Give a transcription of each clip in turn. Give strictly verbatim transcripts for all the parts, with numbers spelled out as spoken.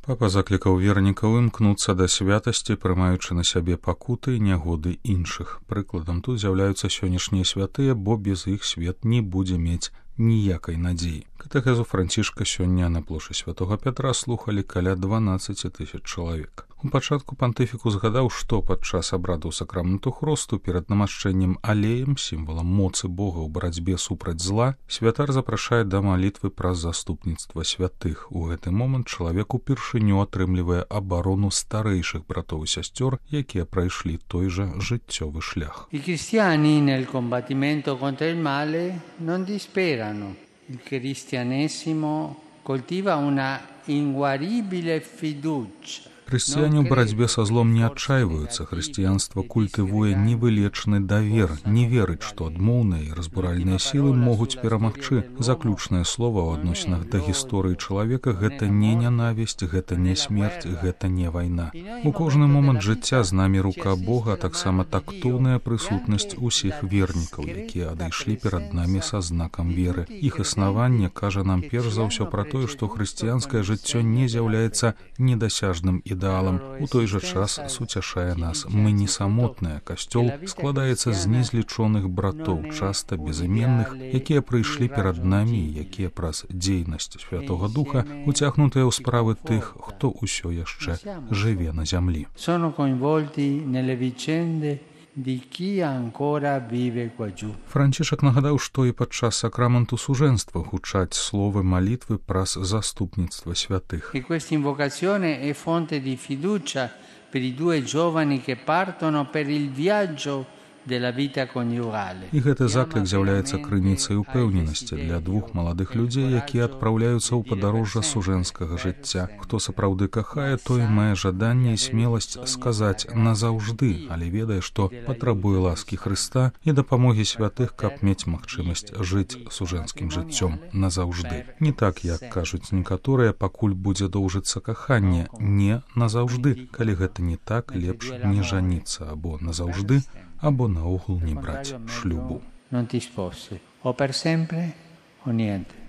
Папа заклікаў вернікаў імкнуцца да святасці, прымаючы на сябе пакуты і нягоды іншых. Прыкладам тут з'яўляюцца сённяшнія святыя, бо без іх свет не будзе мець ніякай надзеі. Катэхезу Францішка сёння на плошчы Святога Пятра слухалі каля дванаццаць тысяч чалавек. У пачатку пантыфіку згадаў, што падчас абрадаў сакраменту хросту перад намашчэннем алеем, сімвалам моцы Бога ў барацьбе супраць зла, святар запрашае да малітвы праз заступніцтва святых. У гэты момант чалавек упершыню атрымлівае абарону старэйшых братоў і сясцёр, якія прайшлі той жа жыццёвы шлях. I cristiani nel combattimento contro il male non disperano. Il cristianesimo coltiva una inguaribile fiducia. Хрысціяне ў барацьбе са злом не адчайваюцца. Хрысціянства культывуе невылечны давер, не верыць, што адмоўныя і разбуральныя сілы могуць перамагчы. Заключнае слова ў адносінах да гісторыі чалавека — гэта не нянавісць, гэта не смерць, гэта не вайна. У кожны момант жыцця з намі рука Бога, а таксама тактоўная прысутнасць усіх вернікаў, якія адышлі перад намі са знакам веры. Іх існаванне кажа нам перш за ўсё пра тое, што хрысціянскае жыццё не з'яўляецца недасяжным і ідэалам, у той жа час суцяшае нас. Мы не самотныя. Касцёл складаецца з незлічоных братоў, часта безыменных, якія прыйшлі перад намі, якія праз дзейнасць Святога Духа уцягнутыя ў справы тых, хто ўсё яшчэ жыве на зямлі. Sono coinvolti nelle vicende di chi ancora vive qua giù. Францішак нагадаў, што і падчас сакраменту сужэнства гучаць словы малітвы праз заступніцтва святых. E questa invocazione è fonte di fiducia per i due giovani che partono per il viaggio della vita coniugale. І гэты заклік з'яўляецца крыніцай упэўненасці для двух маладых людзей, якія адпраўляюцца ў падарожжа сужэнскага жыцця. Хто сапраўды кахае, той мае жаданне і смеласць сказаць назаўжды, але ведае, што патрабуе ласкі Хрыста і дапамогі святых, каб мець магчымасць жыць сужэнскім жыццём назаўжды. Не так, як кажуць некаторыя, пакуль будзе доўжыцца каханне. Не назаўжды. Калі гэта не так, лепш не жаніцца або назаўжды, або наогул не браць шлюбу.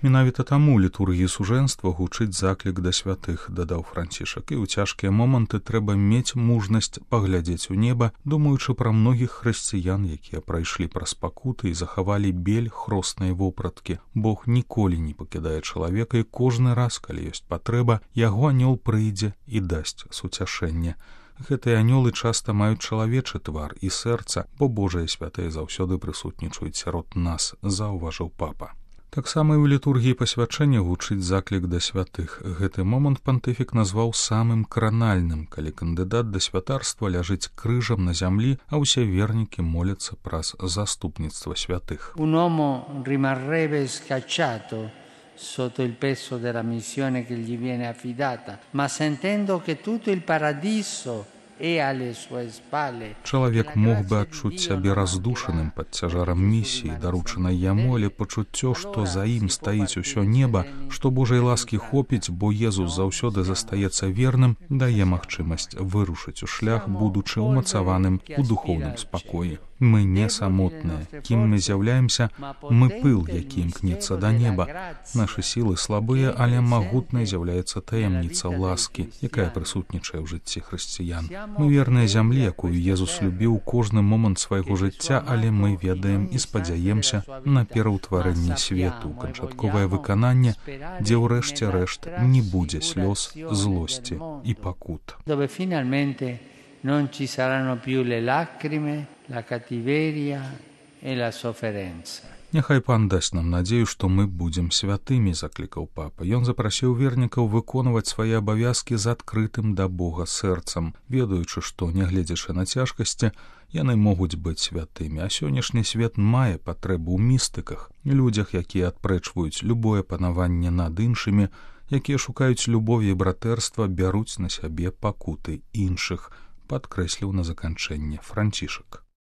Менавіта таму літургіі сужэнства гучыць заклік да святых, дадаў Францішак, і ў цяжкія моманты трэба мець мужнасць паглядзець у неба, думаючы пра многіх хрысціян, якія прайшлі праз пакуты і захавалі бель хроснай вопраткі. Бог ніколі не пакідае чалавека, і кожны раз, калі ёсць патрэба, яго анёл прыйдзе і дасць суцяшэнне. Гэтыя анёлы часта маюць чалавечы твар і сэрца, бо Божыя святыя заўсёды прысутнічаюць сярод нас, заўважыў папа. Таксама і ў літургіі пасвячэння гучыць заклік да святых. Гэты момант пантыфік назваў самым кранальным, калі кандыдат да святарства ляжыць крыжам на зямлі, а ўсе вернікі моляцца праз заступніцтва святых. Un uomo rimarrebbe scacciato sotto il peso della missione che gli viene affidata, ma sentendo che tutto il paradiso è alle sue spalle. Чалавек мог бы адчуць сябе раздушаным пад цяжарам місіі, даручанай яму, але пачуццё, што за ім стаіць усё неба, што Божай ласкі хопіць, бо Езус заўсёды застаецца верным, дае магчымасць вырушыць у шлях, будучы ўмацаваным у духоўным спакоі. Мы не самотныя. Кім мы з'яўляемся? Мы пыл, які імкнецца да неба. Нашы сілы слабыя, але магутнай з'яўляецца таямніца ласкі, якая прысутнічае ў жыцці хрысціян. Мы верныя зямлі, якую Езус любіў кожны момант свайго жыцця, але мы ведаем і спадзяемся на пераўтварэнне свету, канчатковае выкананне, дзе ўрэшце рэшт не будзе слёз, злосці і пакут. Dove finalmente non ci saranno più le lacrime, la cattiveria e la sofferenza. Няхай пан дасць нам надзею, што мы будзем святымі, заклікаў папа. Ён запрасіў вернікаў выконваць свае абавязкі з адкрытым да Бога сэрцам, ведаючы, што, нягледзячы на цяжкасці, яны могуць быць святымі. А сённяшні свет мае патрэбу ў містыках, людзях, якія адпрэчваюць любое панаванне над іншымі, якія шукаюць любові і братэрства, бяруць на сябе пакуты іншых, падкрэсліў на заканчэнне Францішак.